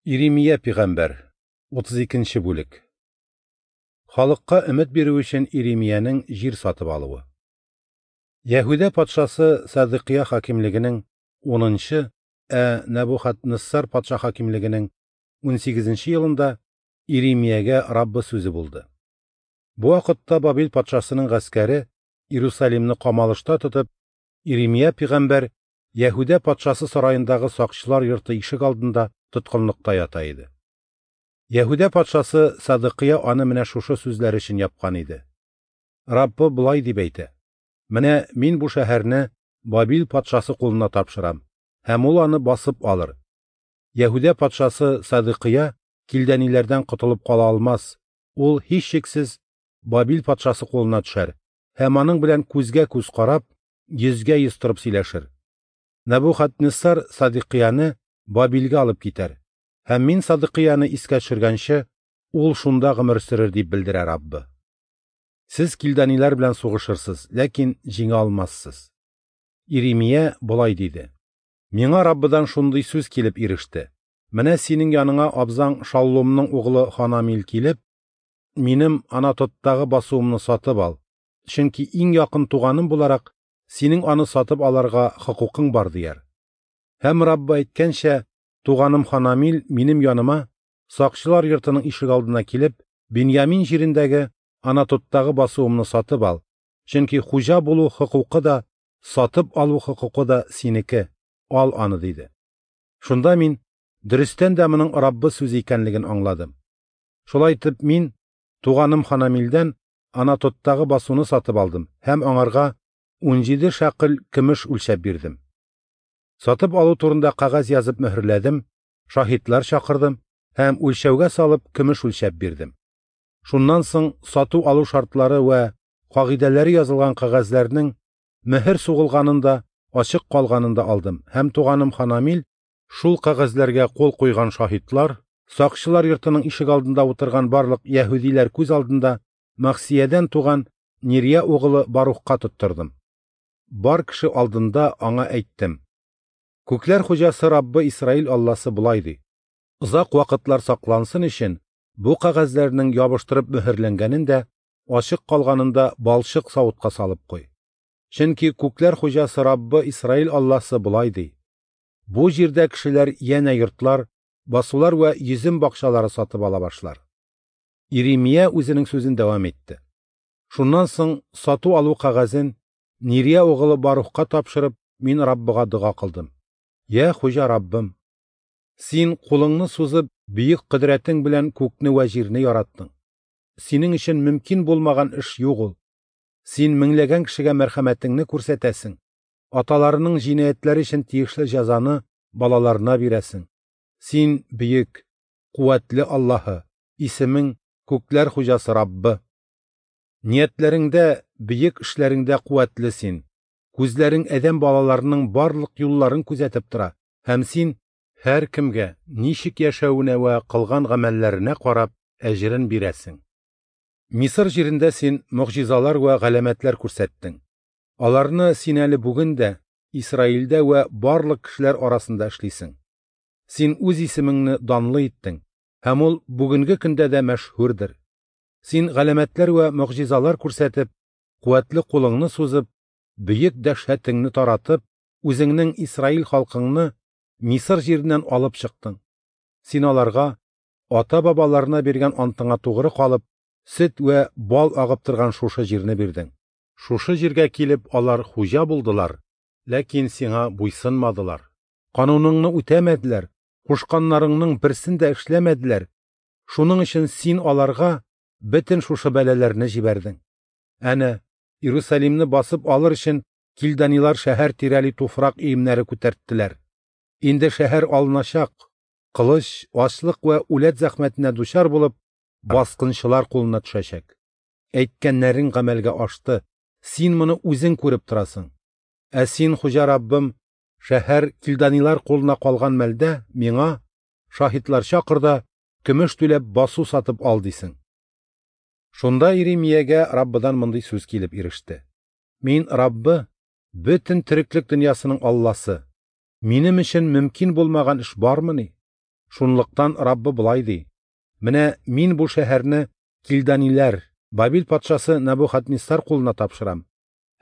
Иремия пигамбәр, 32 бүлек. Халыкка өмет бирү өчен Иремиянең җир сатып алуы. Яһүдә патшасы Садыкия хакимлегенең 10-нчы, ә Нәбухаднессар патша хакимлегенең 18-нче елында Иремиягә Раббы сүзе булды. Бу вакытта Бабил патшасының гаскәре Иерусалимны камалышта тотып, Иремия пигамбәр Яһүдә патшасы сараендагы сакчылар йорты ишек алдында тоткынлыкта ята иде. Яһүдә патшасы Садыкия аны менә шушы сүзләр өчен япкан иде. Раббы болай дип әйтә: Менә мин бу шәһәрне Бабил патшасы кулына тапшырам, һәм ул аны басып алыр. Яһүдә патшасы Садыкия килдәниләрдән котылып кала алмас. Ул һичшиксез Бабил патшасы кулына төшәр һәм аның белән күзгә күз карап, йөзгә йөз торып сөйләшер. Нәбухаднессар Садыкияне Бабилгә алып китәр, һәм мин Садыкияне искә төшергәнче, ул шунда гомер сөрер, дип белдерә Раббы. Сез килдәниләр белән сугышырсыз, ләкин җиңә алмассыз. Иремия болай диде: Миңа Раббыдан шундый сүз килеп иреште. Менә синең яныңа абзаң Шаллумның углы Ханамил килеп, минем Анатоттагы басуымны сатып ал, чөнки иң якын туганым буларак синең аны сатып алырга хокукың бар, дияр. Һәм Раббы әйткәнчә, туганым Ханамил минем яныма сакчылар йортының ишек алдына килеп, Беньямин җирендәге Анатоттагы басуымны сатып ал, чөнки хуҗа булу хокукы да, сатып алу хокукы да синеке, ал аны, диде. Шунда мин дөрестән дә моның Раббы сүзе икәнлеген аңладым. Шулай итеп мин туганым Ханамилдән Анатоттагы басуны сатып алдым һәм аңарга 17 шәкел көмеш үлчәп бирдем. Сатып алу турында кәгазь язып мөһерләдем, шаһитлар чакырдым һәм үлчәүгә салып көмеш үлчәп бирдем. Шуннан соң сату алу шартлары вә кагыйдәләре язылган кәгазьләрнең мөһер сугылганын да, ачык калганын да алдым һәм туганым Ханамил шул кәгазьләргә кул куйган шаһитлар, сакчылар йортының ишек алдында утырган барлык яһүдиләр күз алдында Махсиядән туган Нирия угылы Барухка тоттырдым. Бар кеше алдында аңа әйттем: Күкләр хуҗасы Раббы Исраил Алласы болай ди: Озак вакытлар саклансын өчен бу кәгазьләрнең ябыштырып мөһерләнгәнен дә, ачык калганын да балчык савытка салып куй. Чөнки күкләр хуҗасы Раббы Исраил Алласы болай ди: Бу җирдә кешеләр янә йортлар, басулар вә йөзем бакчалары сатып ала башлар. Иремия үзенең сүзен дәвам итте. Шуннан соң сату алу кәгазен Нирия угылы Барухка тапшырып, мин Раббыга дога кылдым. Я хуҗа Раббым, син кулыңны сузып, бөек кодрәтең белән күкне вә җирне яраттың. Синең өчен мөмкин булмаган эш юк ул. Син меңләгән кешегә мәрхәмәтеңне күрсәтәсең. Аталарының җинаятьләре өчен тиешле җәзаны балаларына бирәсең. Син бөек, куәтле Аллаһы, исемең күкләр хуҗасы Раббы. Ниятләреңдә, бөек эшләреңдә куәтле син. Күзләрең адәм балаларының барлык юлларын күзәтеп тора, һәм син һәр кемгә ничек яшәвенә вә кылган гамәлләренә карап әҗерен бирәсең. Мисыр җирендә син могҗизалар вә галәмәтләр күрсәттең. Аларны син әле бүген дә Исраилдә вә барлык кешеләр арасында эшлисең. Син үз исемеңне данлы иттең, һәм ул бүгенге көндә дә мәшһүрдер. Син галәмәтләр вә могҗизалар күрсәтеп, куәтле кулыңны сузып, бөек дәһшәтеңне таратып, үзеңнең Исраил халкыңны Мисыр җиреннән алып чыктың. Син аларга ата-бабаларына биргән антыңа тугры калып, сөт вә бал агып торган шушы җирне бирдең. Шушы җиргә килеп алар хуҗа булдылар, ләкин сиңа буйсынмадылар. Кануныңны үтәмәделәр, кушканнарыңның берсен дә эшләмәделәр. Шуның өчен син аларга бөтен шушы бәлаләрне җибәрдең. Әнә, Иерусалимны басып алыр өчен килданилар шәһәр тирәли туфрак өемнәре күтәрттеләр. Инде шәһәр алыначак, кылыч, ачлык вә үләт зәхмәтенә дучар булып, баскынчылар кулына төшәчәк. Әйткәннәрең гамәлгә ашты, син моны үзең күреп торасың. Ә син, хуҗа Раббым, шәһәр килданилар кулына калган мәлдә миңа шаһитлар чакыр да, көмеш түләп басу сатып ал дисең. Шунда Иремиягә Раббыдан мондый сүз килеп иреште: Мин Раббы, бөтен тереклек дөньясының Алласы. Минем өчен мөмкин булмаган эш бармыни? Шунлыктан Раббы болай ди: Менә Мин бу шәһәрне килданиләр, Бабил патшасы Нәбухадниссар кулына тапшырам,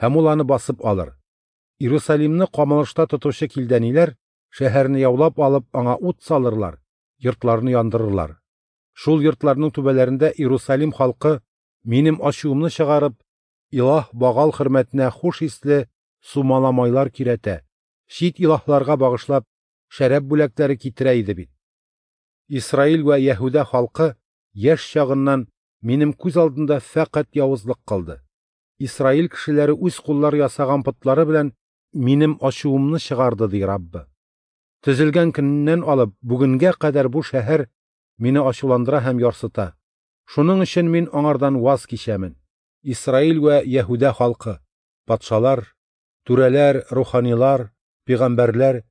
һәм ул аны басып алыр. Иерусалимны камалышта тотучы килданиләр шәһәрне яулап алып, аңа ут салырлар, йортларны яндырырлар. Шул йортларның түбәләрендә Иерусалим халкы Минем ачуымны чыгарып, илаһ Багал хөрмәтенә хуш исле сумала-майлар көйрәтә, чит илаһларга багышлап, шәраб бүләкләре китерә иде бит. Исраил вә Яһүдә халкы яшь чагыннан Минем күз алдында фәкать явызлык кылды. Исраил кешеләре үз куллары ясаган потлары белән Минем ачуымны чыгарды, ди Раббы. Төзелгән көненнән алып бүгенгә кадәр бу шәһәр Мине ачуландыра һәм ярсыта. Шуның өчен Мин аңардан ваз кичәмен. Исраил вә Яһүдә халкы, патшалар, түрәләр, руханилар, пәйгамбәрләр,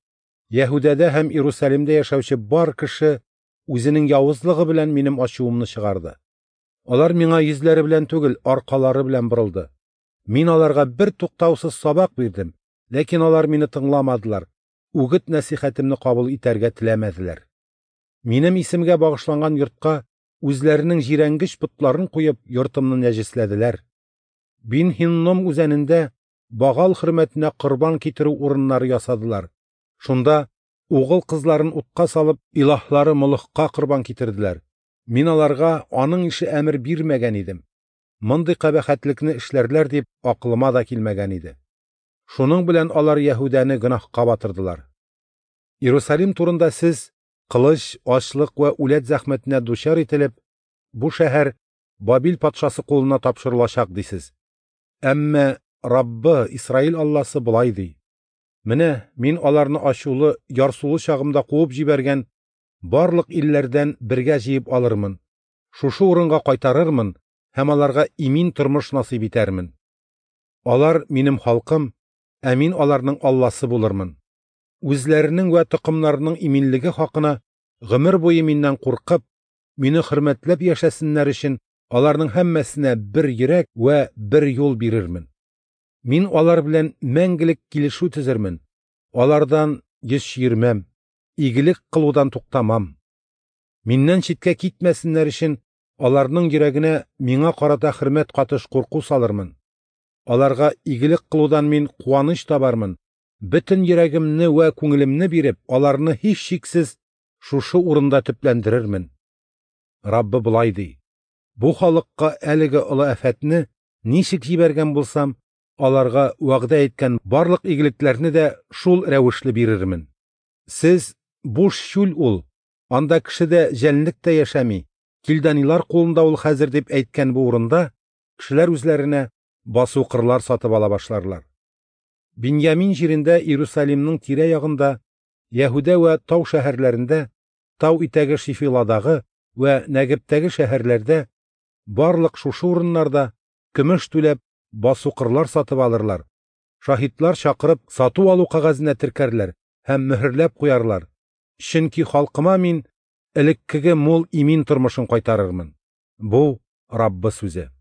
Яһүдәдә һәм Иерусалимдә яшәүче бар кеше үзенең явызлыгы белән Минем ачуымны чыгарды. Алар Миңа йөзләре белән түгел, аркалары белән борылды. Мин аларга бер туктаусыз сабак бирдем, ләкин алар Мине тыңламадылар, үгет-нәсихәтемне кабул итәргә теләмәделәр. Минем исемгә багышланган йортка үзләренең җирәнгеч потларын куеп, йортымны нәҗесләделәр. Бин-Һинном үзәнендә Багал хөрмәтенә корбан китерү урыннары ясадылар. Шунда угыл кызларын утка салып, илаһлары Молохка корбан китерделәр. Мин аларга аның ише әмер бирмәгән идем. Мондый кабахәтлекне эшләрләр дип акылыма да килмәгән иде. Шуның белән алар Яһүдәне гөнаһка батырдылар. Иерусалим турында сез кылыч, ачлык вә үләт зәхмәтенә дучар ителеп, бу шәһәр Бабил патшасы кулына тапшырылачак дисез. Әмма Раббы, Исраил Алласы болай ди: Менә Мин аларны ачулы, ярсулы чагымда куып җибәргән барлык илләрдән бергә җыеп алырмын, шушы урынга кайтарырмын һәм аларга имин тормыш насыйп итәрмен. Алар Минем халкым, ә Мин аларның Алласы булырмын. Үзләренең вә токымнарының иминлеге хакына гомер буе Миннән куркып, Мине хөрмәтләп яшәсеннәр өчен аларның һәммәсенә бер йөрәк вә бер юл бирермен. Мин алар белән мәңгелек килешү төзермен, алардан йөз чөермәм, игелек кылудан туктамам. Миннән читкә китмәсеннәр өчен аларның йөрәгенә Миңа карата хөрмәт катыш курку салырмын. Аларга игелек кылудан Мин куаныч табармын, бөтен йөрәгемне вә күңелемне биреп, аларны һичшиксез шушы урында төпләндерермен. Раббы болай ди: Бу халыкка әлеге олы афәтне ничек җибәргән булсам, аларга вәгъдә иткән барлык игелекләрне дә шул рәвешле бирермен. Сез буш чүл ул, анда кеше дә, җәнлек тә яшәми, килданилар кулында ул хәзер дип әйткән бу урында кешеләр үзләренә басу-кырлар сатып ала башларлар. Биньямин җирендә, Иерусалимның тирә-ягында, Яһүдә вә тау шәһәрләрендә, тау итәге Шифиладагы вә Нәгептәге шәһәрләрдә, барлык шушы урыннарда көмеш түләп басу-кырлар сатып алырлар, шаһитлар чакырып сату-алу кәгазенә теркәрләр һәм мөһерләп куярлар, чөнки халкыма Мин элеккеге мул имин тормышын кайтарырмын. Бу Раббы сүзе.